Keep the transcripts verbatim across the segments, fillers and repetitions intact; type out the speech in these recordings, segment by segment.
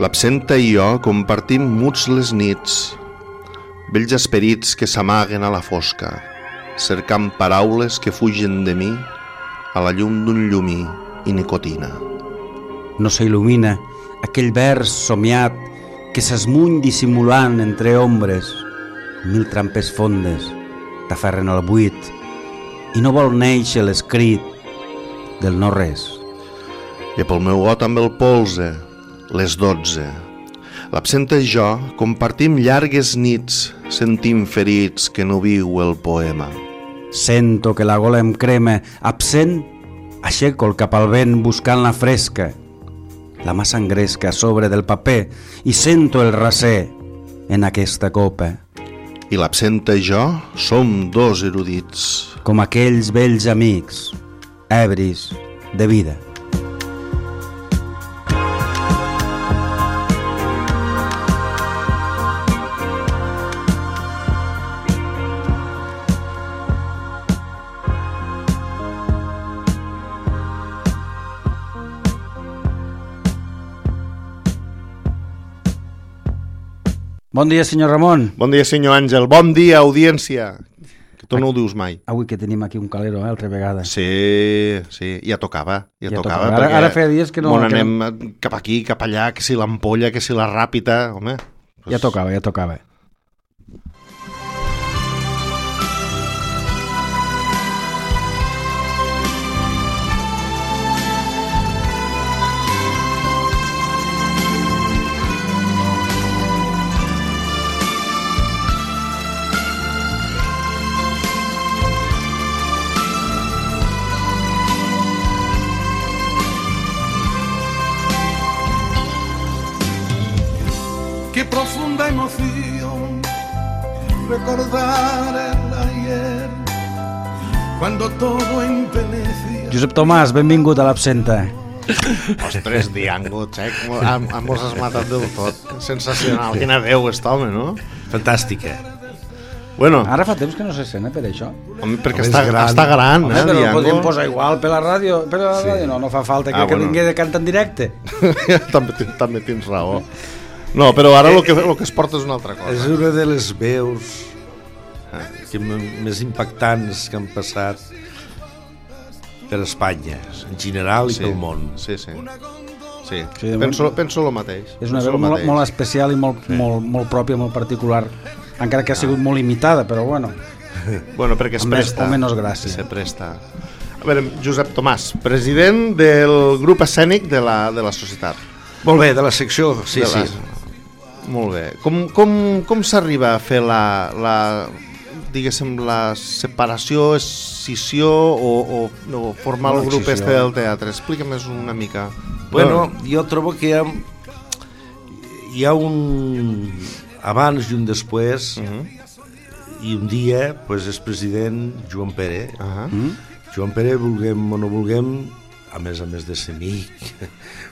L'absenta i jo compartim muts les nits, vells esperits que s'amaguen a la fosca, cercant paraules que fugen de mi a la llum d'un llumí i nicotina. No s'il·lumina aquell vers somiat que s'esmuny dissimulant entre ombres. Mil trampes fondes t'aferren al buit i no vol néixer l'escrit del no res. I pel meu got amb el polze, les dotze. L'absenta i jo compartim llargues nits, sentim ferits que no viu el poema. Sento que la gola em crema, absent, aixeco el cap al vent buscant la fresca. La mà s'engresca a sobre del paper i sento el raser en aquesta copa. I l'absenta i jo som dos erudits. Com aquells vells amics, ebris de vida. Bon dia, senyor Ramon. Bon dia, senyor Àngel. Bon dia, audiència. Que tu no ho dius mai. Avui que tenim aquí un calero, eh, altra vegada. Sí, sí, ja tocava. Ja, ja tocava. tocava. Ara, ara feia dies que no... Bon, que anem no... cap aquí, cap allà, que si l'ampolla, que si la ràpita, home. Pues... Ja tocava, ja tocava. Qué profunda emoción recordar el ayer cuando todo envenecía. Josep Tomàs, benvingut a l'Absenta. Ostres, diangots, eh? Mos has matat del tot. Sensacional. Quina veu és home, no? Fantàstica. Bueno, Ara fa temps que no se sent, eh, per això. home, perquè Home, està és gran, gran. està gran Home, eh, però ho Diango? podríem posar igual per la ràdio. Per la Sí. ràdio no, no fa falta que, Ah, que bueno. vingui de cant en directe. també, ten- també tens raó. No, però ara el que, el que es porta és una altra És cosa. una de les veus que m- més impactants que han passat per Espanya, en general i Sí, pel món. sí, sí. Sí, Sí, penso, penso el mateix. És una penso veu el molt, mateix. molt especial i molt, molt, molt pròpia, molt particular. Encara que ha sigut molt imitada, però bueno. Bueno, perquè es Amb més presta. o menys gràcia. Se presta. A veure, Josep Tomàs, president del grup escènic de la, de la societat. Molt bé, de la secció, sí, De sí. la- Molt bé. Com, com, com s'arriba a fer la, la, diguéssim, la separació, escissió o, o, o formar Bueno, el grup excisió. este del teatre? Explica'm-nos una mica. Bueno, jo trobo que hi ha, hi ha un abans i un després, Uh -huh. i un dia pues, és president Joan Pere. Uh -huh. Mm? Joan Pere, vulguem o no vulguem, a més a més de ser amic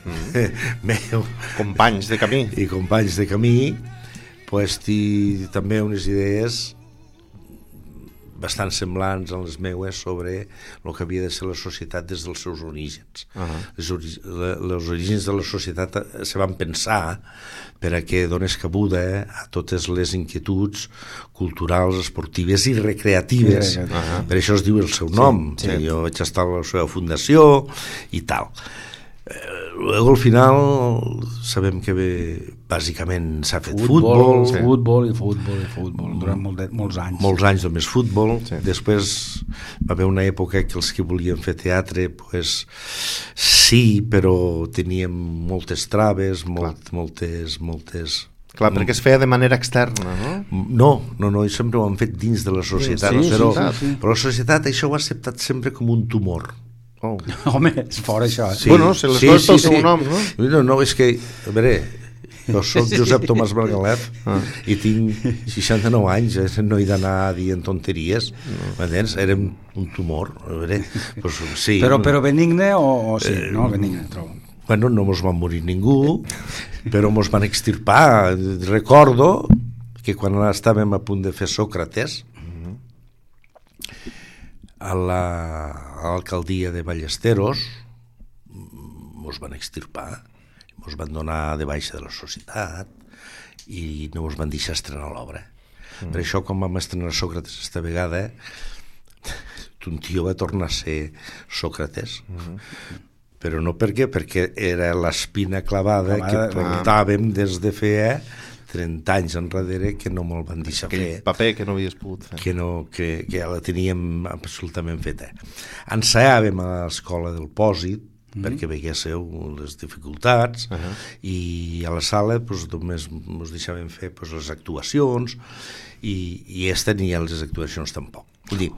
mm. meu Companys de camí. i companys de camí, pues, té també unes idees bastant semblants a les meues sobre el que havia de ser la societat des dels seus orígens. Uh -huh. Les, ori les orígens de la societat se van pensar per a que donés cabuda a totes les inquietuds culturals, esportives i recreatives. Sí, Uh sí. -huh. Per això es diu el seu nom. Sí, Sí, jo vaig estar a la seva fundació i tal. Luego, al final, sabem que bé, bàsicament s'ha fet futbol, futbol, sí. futbol i futbol i futbol durant molt de, molts anys. molts anys només futbol. Sí. Després va haver una època que els que volien fer teatre, pues, sí, però teníem moltes traves, molt, moltes, moltes... Clar, perquè es feia de manera externa, no? No, no, no, i sempre ho han fet dins de la societat, Sí, sí, però, sí, sí. però la societat això ho ha acceptat sempre com un tumor. Oh. Home, és fora això. Eh? Sí, Bueno, se les coses pel seu nom, no? No, no, és que, a veure, jo soc Josep Tomàs Margalef Ah. i tinc seixanta-nou anys, eh? No he d'anar dient tonteries, no. M'entens? Era un tumor, a veure, pues, sí. Però, però benigne o, o sí? Eh, no, benigne, trobo. Bueno, no mos va morir ningú, però mos van extirpar. Recordo que quan estàvem a punt de fer Sòcrates, a la- a l'alcaldia de Ballesteros, mos van extirpar, ens van donar de baixa de la societat i no ens van deixar estrenar l'obra. Mm. Per això, quan vam estrenar Sòcrates esta vegada, un tio va tornar a ser Sòcrates. Mm. Però no per què? Perquè era l'espina clavada, clavada que portàvem des de feia trenta anys enrere que no me'l van deixar Aquell fer. paper que no havies pogut fer. Que, no, que, que ja la teníem absolutament feta. Ensaiàvem a l'escola del Pòsit, mm-hmm. perquè veiéssiu les dificultats, uh-huh. i a la sala pues, només ens deixàvem fer pues, les actuacions, i, i esta ni les actuacions tampoc. Vull dir,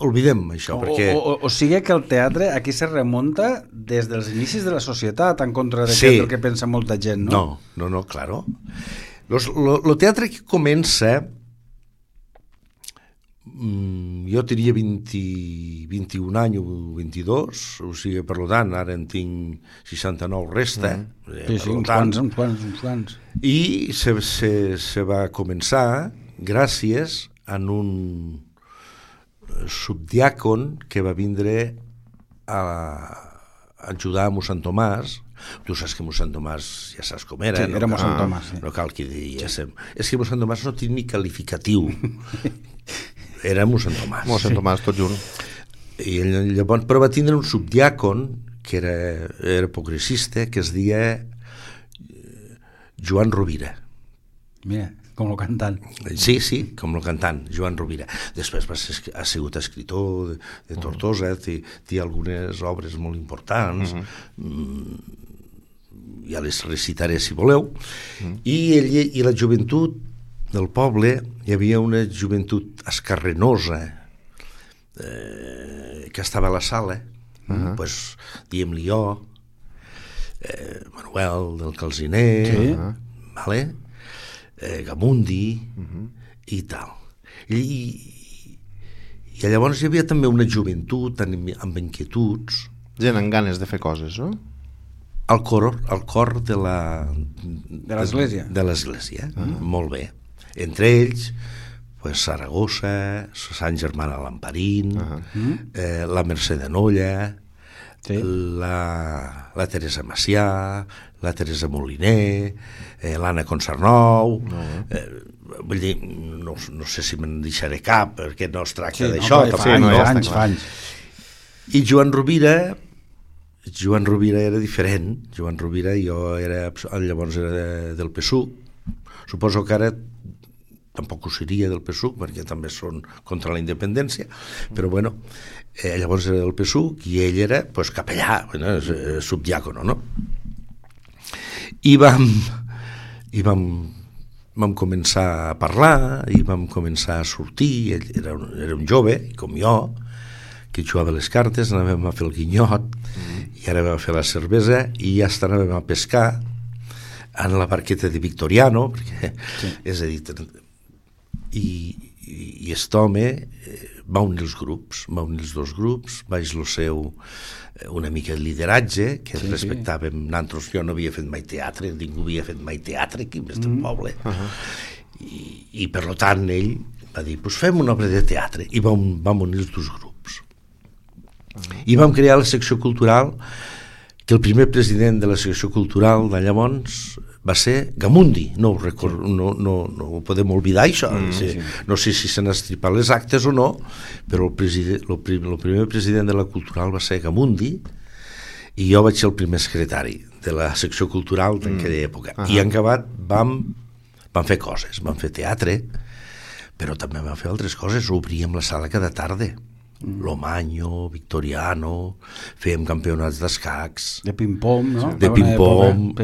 oblidem això, o, perquè... O, o, o sigui que el teatre aquí se remunta des dels inicis de la societat, en contra de sí. el que pensa molta gent, no? No, no, no, claro. Los, lo, lo teatre que comença... Mm, jo tenia vint, vint-i-un anys o vint-i-dos, o sigui, per tant, ara en tinc seixanta-nou resta. Mm. Sí, sí, uns quants, uns quants, uns quants. I se, se, se va començar gràcies a un subdiàcon que va vindre a, a ajudar a mossèn Tomàs. Tu saps que mossèn Tomàs ja saps com era. Sí, no era cal, mossèn Tomàs. Sí. No cal que diguéssim. Sí. És que mossèn Tomàs no té ni qualificatiu. Era mossèn Tomàs. Mossèn Tomàs, tot juro. I llavors, però va tindre un subdiàcon que era, era progressista, que es deia Joan Rovira. Mira, com el cantant. Sí, sí, com el cantant, Joan Rovira. Després va ser, ha sigut escritor de, de Tortosa, té, té algunes obres molt importants, uh-huh. ja les recitaré si voleu, uh-huh. I, ell, i la joventut del poble, hi havia una joventut escarrenosa eh, que estava a la sala, uh-huh. pues, diem-li jo, eh, Manuel del Calziner, sí. uh-huh. vale? Eh, Gamundi uh-huh. i tal. I, i, i llavors hi havia també una joventut amb, amb inquietuds. Gent amb ganes de fer coses, no? Al cor, al cor de la... De l'església. De, de l'església, uh-huh. molt bé. Entre ells, pues, Saragossa, Sant Germà de l'Amparín, uh-huh. eh, la Mercè de Nolla, sí. la, la Teresa Macià, la Teresa Moliner, eh, l'Anna Consarnou, uh-huh. eh, vull dir, no, no sé si me'n deixaré cap, perquè no es tracta sí, d'això. No, fa anys, no, ja anys, fa anys. I Joan Rovira, Joan Rovira era diferent. Joan Rovira, jo era, llavors era del P S U C. Suposo que ara tampoc ho seria del P S U C, perquè també són contra la independència, però bueno, eh, llavors era del P S U C i ell era pues, capellà, bueno, subdiàcono, no? I vam, i vam, vam començar a parlar, i vam començar a sortir, ell era un, era un jove, com jo, que jugava les cartes, anàvem a fer el guinyot, mm. i ara vam a fer la cervesa, i ja està, anàvem a pescar en la barqueta de Victoriano, perquè, sí. és a dir, i, i, i aquest home eh, va unir els grups, va unir els dos grups, va el seu eh, una mica de lideratge, que sí, respectàvem, sí. Nosaltres, jo no havia fet mai teatre, ningú havia fet mai teatre aquí en aquest mm. poble, uh-huh. I, i per tant ell va dir, pues fem una obra de teatre, i vam, vam unir els dos grups. Uh-huh. I vam crear la secció cultural, que el primer president de la secció cultural de llavors va ser Gamundi, no ho, record, no, no, no ho podem oblidar això, mm, sí, sí. No sé si s'han estripat les actes o no, però el, president, el, prim, el primer president de la cultural va ser Gamundi i jo vaig ser el primer secretari de la secció cultural d'aquella mm. època. Uh-huh. I en acabat vam, vam fer coses, vam fer teatre, però també vam fer altres coses, obríem la sala cada tarda. Lomanyo, Victoriano, fèiem campionats d'escacs, de ping-pong, no? de ping-pong,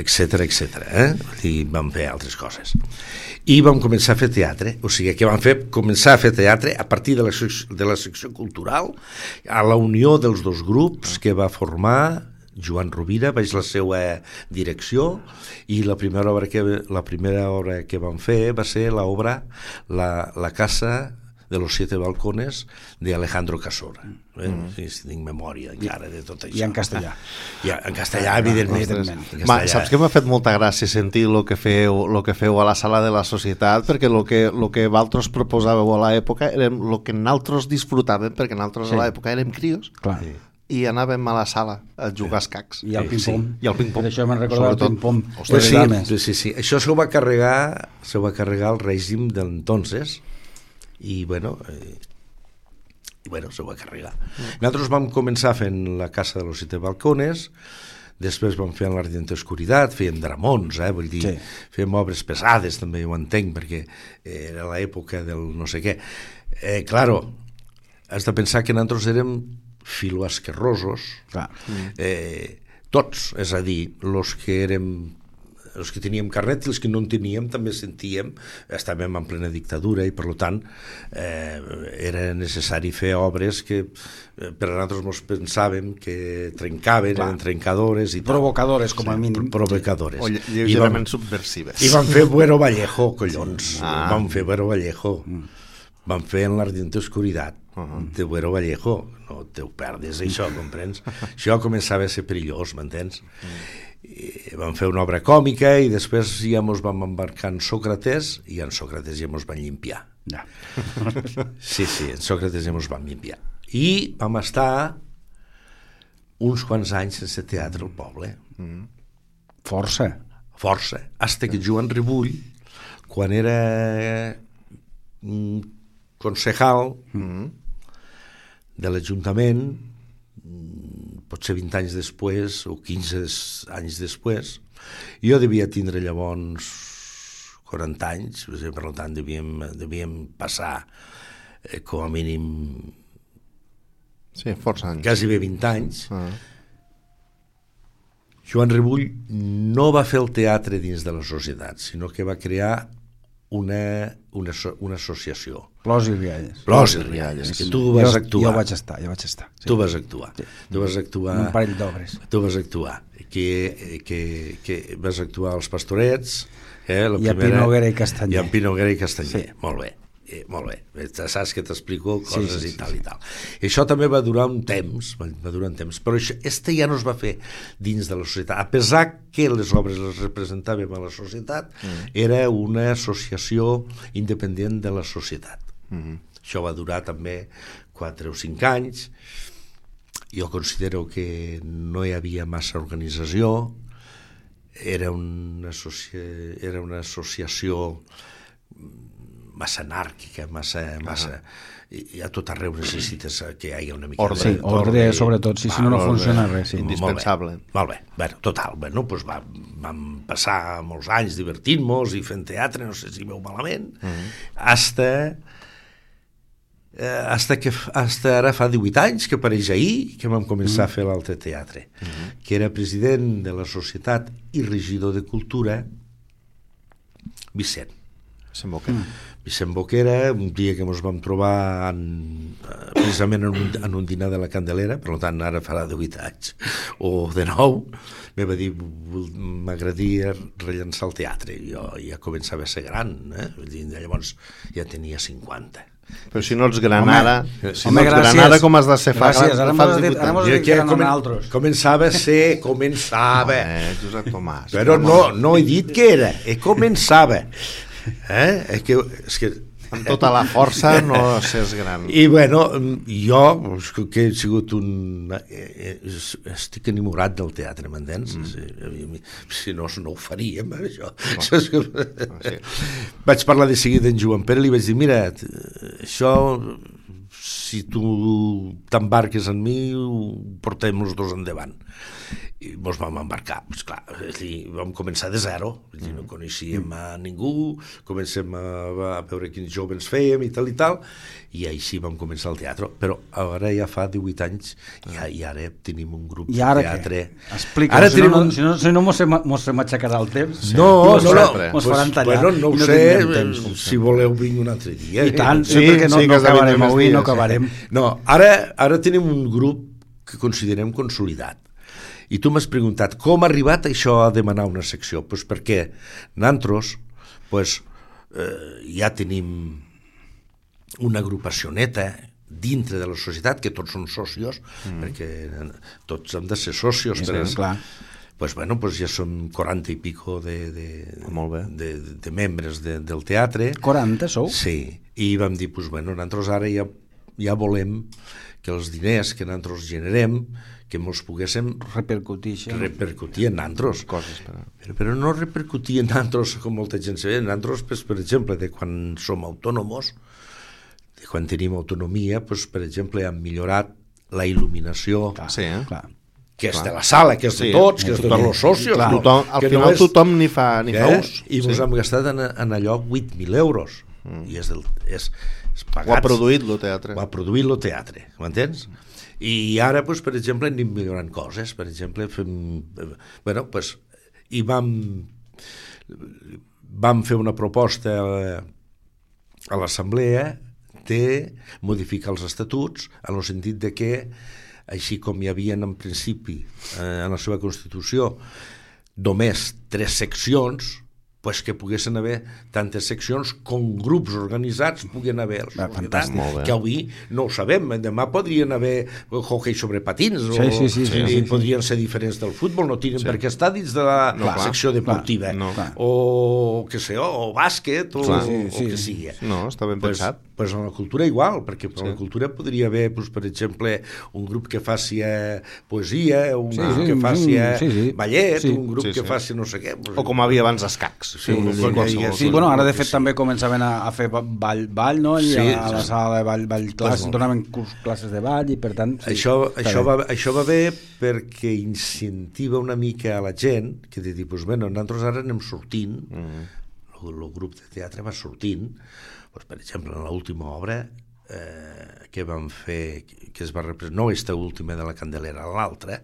etcètera, etcètera. Eh? I vam fer altres coses. I vam començar a fer teatre, o sigui que vam fer, començar a fer teatre a partir de la, de la secció cultural, a la unió dels dos grups que va formar Joan Rovira, vaig la seva direcció, i la primera obra que, la primera obra que vam fer va ser l'obra La, la casa de los siete balcones de Alejandro Casora. Eh? Mm. Sí, si tinc memòria encara de tot això. I en castellà. I en castellà, ah, evidentment. evidentment. En castellà. Ma, saps que m'ha fet molta gràcia sentir el que feu, lo que feu a la sala de la societat, perquè el que, lo que vosaltres proposàveu a l'època era el que nosaltres disfrutàvem, perquè nosaltres sí. a l'època érem crios. Clar. Sí. i anàvem a la sala a jugar escacs. I el Sí, ping-pong. sí, i el ping-pong. Per això me'n recordo el Sobretot. ping-pong. Ostres, de sí, dames. sí, sí, sí. Això s'ho va carregar, s'ho va carregar el règim d'entonces i, bueno, eh, i, bueno, s'ho va carregar. Mm. Nosaltres vam començar fent la Casa de los Siete Balcones, després vam fer l'Ardiente Oscuridad, fèiem dramons, eh, vull dir, Sí. fèiem obres pesades, també ho entenc, perquè era l'època del no sé què. Eh, claro, has de pensar que nosaltres érem filoasquerrosos, Clar. eh, tots, és a dir, els que érem els que teníem carnet i els que no en teníem també sentíem, estàvem en plena dictadura i per tant eh, era necessari fer obres que eh, per a nosaltres ens pensàvem que trencaven, Clar. eren trencadores i tal. Provocadores, com a mínim. Provocadores. O lle- I vam, lleugerament subversives. i van fer Buero Vallejo, collons. Ah. Van fer Buero Vallejo. Van fer en l'Ardiente Oscuridad de Buero Vallejo. No te ho perdes, això, comprens? Això començava a ser perillós, m'entens? I vam fer una obra còmica i després ja mos vam embarcar en Sòcrates i en Sòcrates ja mos van llimpiar. Ja. Sí, sí, en Sòcrates ja mos van llimpiar. I vam estar uns quants anys sense teatre al poble. Força. Força. Hasta que Joan Ribull, quan era mm, concejal de l'Ajuntament, mm, potser vint anys després o quinze anys després, jo devia tindre llavors quaranta anys, per tant devíem, devíem passar eh, com a mínim Sí, força anys. quasi bé vint anys. Ah. Joan Ribull no va fer el teatre dins de la societat, sinó que va crear una, una, una associació. Plors i rialles. Plors i rialles, que tu vas jo, actuar. Jo vaig estar, jo vaig estar. Sí. Tu vas actuar. Sí. Tu vas actuar... Un parell d'obres. Tu vas actuar. Que, que, que vas actuar als Pastorets, eh, la I a primera, Pi Noguera i Castanyer. I a Pi Noguera i Castanyer. Sí. Molt bé. Eh, molt bé, saps que t'explico coses Sí, sí, i sí, tal sí. i tal. I això també va durar un temps, va, va durar un temps, però això, este ja no es va fer dins de la societat. A pesar que les obres les representàvem a la societat, mm. era una associació independent de la societat. Mm. Això va durar també quatre o cinc anys. Jo considero que no hi havia massa organització, era una, associa... era una associació massa anàrquica, massa... massa... I a tot arreu necessites que hi hagi una mica Ordre. Sí, ordre, sobretot, sí, si no, no funciona res. Sí. Indispensable. Molt bé, molt bé. Bueno, total, bueno, doncs va, vam passar molts anys divertint-nos i fent teatre, no sé si veu malament, mm-hmm. hasta... Eh, hasta que hasta ara fa divuit anys que apareix ahir que vam començar mm. a fer l'Altre Teatre, mm-hmm. que era president de la societat i regidor de cultura Vicent. Vicent Boquera. Mm. Vicent Boquera, un dia que ens vam trobar en, precisament en un, en un dinar de la Candelera, per tant ara farà divuit anys o de nou, me va dir m'agradaria rellençar el teatre. Jo ja començava a ser gran, eh? Llavors ja tenia cinquanta. Però si no ets gran ara, si home, no ets gran ara, com has de ser fa gràcies, ara fa mos has dit- ara mos has dit que eren comen, altres. començava a ser, començava. Eh, Josep Tomàs. Però no, no he dit que era, he començava. Eh? És que, és que Amb tota la força no s'és gran. I bueno, jo que he sigut un... estic enamorat del teatre, m'entens? Mm. Si, si no, no ho faríem, això. Oh. això sí. Vaig parlar de seguida en Joan Pere i li vaig dir, mira, això, si tu t'embarques en mi, ho portem els dos endavant. I ens vam embarcar, pues clar, dir, vam començar de zero, dir, no coneixíem a ningú, comencem a, a veure quins joves fèiem i tal i tal, i així vam començar el teatre, però ara ja fa divuit anys ja, i ara tenim un grup I ara de teatre. què? Explica, Ara si, tenim no, un... si no, si no mos, mos se m'aixecarà el temps. Sí. No, mos no, no, mos pues, faran tallar. bueno, no ho i no sé, tindrem temps, com si voleu vinc un altre dia. I tant, Sí, sí, perquè no, sí, no que has de acabarem vindre avui, més no dies, acabarem. No, ara, ara tenim un grup que considerem consolidat. I tu m'has preguntat com ha arribat això a demanar una secció? Pues perquè nosaltres pues, eh, ja tenim una agrupació neta dintre de la societat, que tots són socios, mm. perquè tots hem de ser socios. Sí, per sí, clar. Pues bueno, pues ja som quaranta i pico de, de, Molt bé. de, de membres de, del teatre. quaranta sou? Sí, i vam dir, pues bueno, nosaltres ara ja, ja volem que els diners que nosaltres generem que ens poguéssim repercutir, repercutir en nosaltres. Coses, però... Però, però no repercutir en nosaltres com molta gent se ve. Nosaltres, pues, per exemple, de quan som autònoms, de quan tenim autonomia, pues, per exemple, hem millorat la il·luminació, clar, sí, eh? clar. que és de la sala, que és de tots, sí, que és de tots els socios. Clar, no? Tothom, al que final no és... tothom ni fa, ni eh? fa ús. I ens sí. hem gastat en, en allò vuit mil euros. Mm. I és, del, és, és pagats. Ho ha produït el teatre. Ho ha produït el teatre, m'entens? I ara, pues, per exemple, anem millorant coses. Per exemple, fem... Bueno, pues, i vam... Vam fer una proposta a, a l'assemblea de modificar els estatuts en el sentit de que així com hi havia en principi eh, en la seva Constitució només tres seccions, pues que poguessin haver tantes seccions com grups organitzats puguen haver. Va, fantàstic. Que avui no ho sabem, demà podrien haver hockey sobre patins sí, o, sí, sí, sí, i sí, podrien sí. ser diferents del futbol, no tenen sí. per què estar dins de la no, secció clar, deportiva clar, no. o que sé, o, o bàsquet o, clar, sí, sí, o que sigui. No, està ben pues, pensat. Pues en la cultura igual, perquè sí. en la cultura podria haver, pues, per exemple, un grup que faci eh, poesia, un sí, grup sí, que faci eh, sí, sí. ballet, sí. un grup sí, que sí. faci no sé què. Pues, o com havia abans escacs. Sí, sí, sí, sí, sí, bueno, ara de fet sí. també començaven a, a fer ball, ball no? I sí, a la sala de ball, ball classes, pues donaven curs, classes de ball i per tant... Sí, això, això, va, això va bé perquè incentiva una mica a la gent que de dir, pues, bueno, nosaltres ara anem sortint, mm. el, el grup de teatre va sortint, pues, per exemple, en l'última obra eh, que vam fer, que es va representar, no aquesta última de la Candelera, l'altra,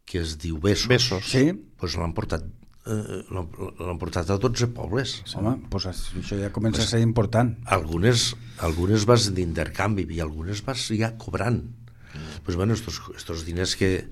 que es diu Besos, Besos. Sí. Pues l'han portat eh, l'han portat a dotze pobles. Home, pues això ja comença pues, a ser important. Algunes, algunes vas d'intercanvi i algunes vas ja cobrant. Mm. Pues bueno, estos, estos diners que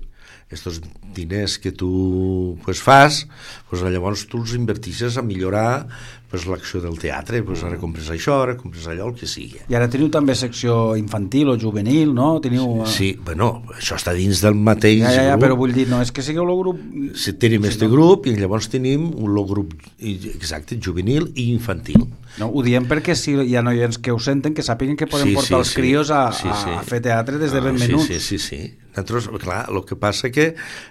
estos diners que tu pues, fas, pues, llavors tu els invertixes a millorar pues, l'acció del teatre, pues, ara compres això, ara compres allò, el que sigui. I ara teniu també secció infantil o juvenil, no? Teniu... Sí, bueno, això està dins del mateix ja, ja, ja, grup. Però vull dir, no, és que sigueu el grup... Si tenim este grup i llavors tenim un grup exacte, juvenil i infantil. No, ho diem perquè si hi ha noients que ho senten, que sàpiguen que poden sí, portar sí, els sí. crios a, sí, sí. a fer teatre des de ben ah, menuts. Sí, sí, sí, sí. Nosaltres, clar, el que passa que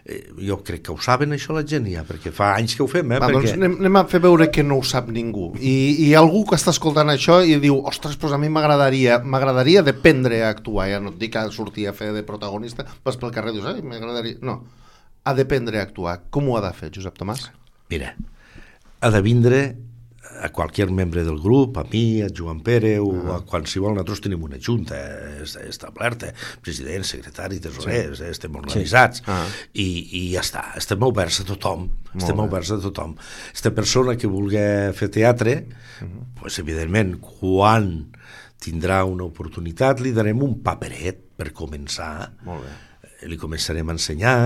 eh, jo crec que ho saben això la gent ja, perquè fa anys que ho fem, eh? Va, perquè... doncs anem, anem a fer veure que no ho sap ningú. I, i algú que està escoltant això i diu, ostres, pues a mi m'agradaria m'agradaria d'aprendre a actuar, ja no et dic a sortir a fer de protagonista, vas pel carrer i dius, ai, m'agradaria... No, ha d'aprendre a actuar. Com ho ha de fer, Josep Tomàs? Mira, ha de vindre a qualsevol membre del grup, a mi, a Joan Pere o ah. a qualsevol, nosaltres tenim una junta establerta, president, secretari, tesorer, sí. estem organitzats sí. ah. i, i ja està, estem oberts a tothom, Molt estem bé. oberts a tothom. Aquesta persona que vulgui fer teatre, uh-huh. pues, evidentment, quan tindrà una oportunitat, li darem un paperet per començar, Molt bé. li començarem a ensenyar.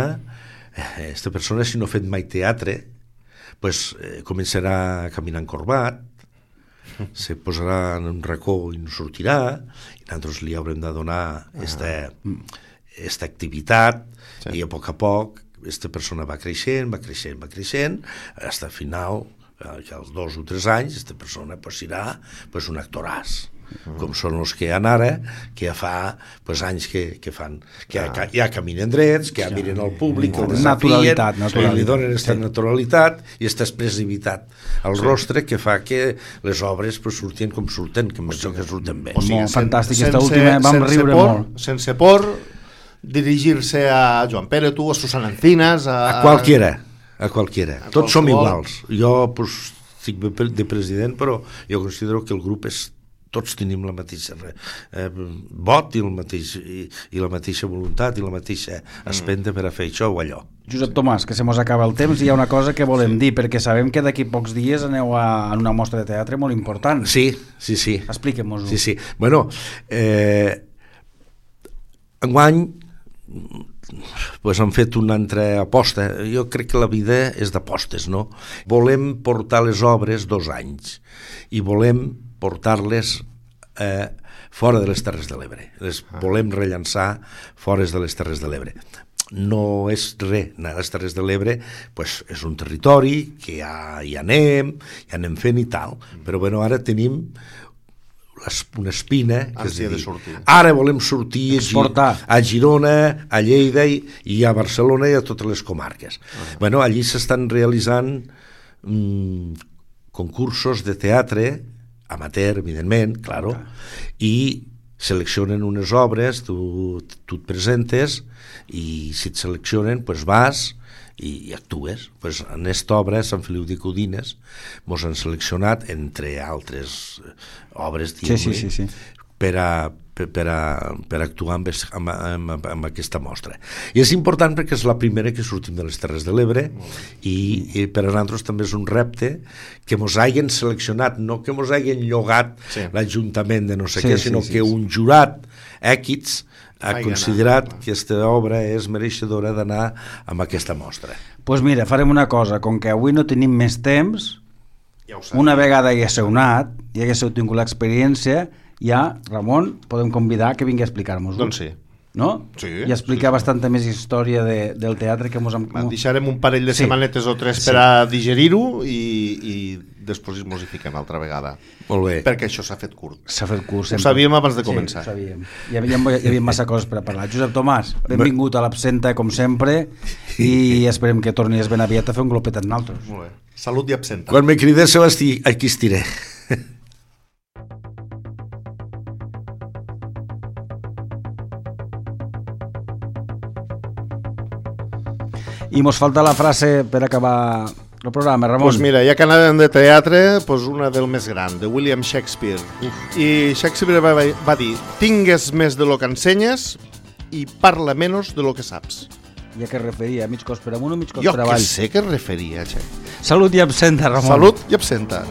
Aquesta persona, si no ha fet mai teatre, pues, eh, començarà a caminar encorbat, se posarà en un racó i no sortirà, i nosaltres li haurem de donar esta, esta activitat, sí. i a poc a poc aquesta persona va creixent, va creixent, va creixent, fins al final, que als dos o tres anys, aquesta persona pues, serà pues, un actoràs. Uh-huh. Com són els que hi ha ara, que ja fa pues, anys que, que fan, que ja, ah. ja caminen drets, que ja miren al públic, que el desafien, que li donen aquesta sí. naturalitat i aquesta expressivitat al sí. rostre que fa que les obres pues, surtin com surten, que més o que surten bé. O sigui, molt fantàstic, aquesta última vam riure por, molt. Sense por, dirigir-se a Joan Pere, tu, a Susana Encinas, a... A qualquiera, a qualquiera. A Tots som qualsevol. iguals. Jo pues, estic de president, però jo considero que el grup és tots tenim la mateixa eh, vot i, el mateix, i, i la mateixa voluntat i la mateixa espenta per a fer això o allò. Josep Tomàs, que se mos acaba el temps i hi ha una cosa que volem sí. dir, perquè sabem que d'aquí pocs dies aneu a, a una mostra de teatre molt important. Sí, sí, sí. Expliquem-nos-ho. Sí, sí. Bueno, eh, enguany pues han fet una altra aposta. Jo crec que la vida és d'apostes, no? Volem portar les obres dos anys i volem portar-les eh, fora de les Terres de l'Ebre. Les ah. volem rellançar fora de les Terres de l'Ebre. No és res, a les Terres de l'Ebre pues, és un territori que ja hi anem, hi anem fent i tal, però bueno, ara tenim una espina, que és Ànsia de dir, sortir. ara volem sortir a, Gi- Exportar. a Girona, a Lleida i, i a Barcelona i a totes les comarques. Uh-huh. Bueno, allí s'estan realitzant mm, concursos de teatre, amateur, evidentment, claro, i seleccionen unes obres, tu, tu et presentes i si et seleccionen, pues vas i, i actues. Pues en esta obra, Sant Feliu de Codines, mos han seleccionat, entre altres obres, Sí, sí, sí, sí. per a, per, per, a, per actuar amb, es- amb, amb, amb aquesta mostra. I és important perquè és la primera que sortim de les Terres de l'Ebre i, i per a nosaltres també és un repte que mos hagin seleccionat, no que mos hagin llogat Sí. l'Ajuntament de no sé Sí, què, sí, sinó sí, que sí. un jurat èquids ha Ai, considerat anar. que aquesta obra és mereixedora d'anar amb aquesta mostra. Doncs pues mira, farem una cosa, com que avui no tenim més temps, Ja ho sabia. una vegada hi haguéssiu anat, i haguéssiu tingut l'experiència, ja, Ramon, podem convidar que vingui a explicar-nos-ho. Doncs sí. No? Sí, I explicar sí, sí. bastanta més història de, del teatre que mos... Hem... Va, deixarem un parell de Sí. setmanetes o tres Sí. per a digerir-ho i, i després mos hi fiquem altra vegada. Molt bé. Perquè això s'ha fet curt. S'ha fet curs Ho sempre. sabíem abans de començar. Sí, ho sabíem. Hi havia, hi havia massa coses per a parlar. Josep Tomàs, benvingut a l'Absenta, com sempre, i esperem que tornis ben aviat a fer un glopet amb nosaltres. Molt bé. Salut i absenta. Quan me cridéssiu, esti- aquí estiré. I mos falta la frase per acabar el programa, Ramon. Pues mira, ja que anàvem de teatre, pues una del més gran, de William Shakespeare. I Shakespeare va, va dir: tingues més de lo que ensenyes i parla menys de lo que saps. Ja que es referia, mig cos per amunt o mig cos Jo per que avall. sé que es referia, Xac. Salut i absenta, Ramon. Salut i absenta.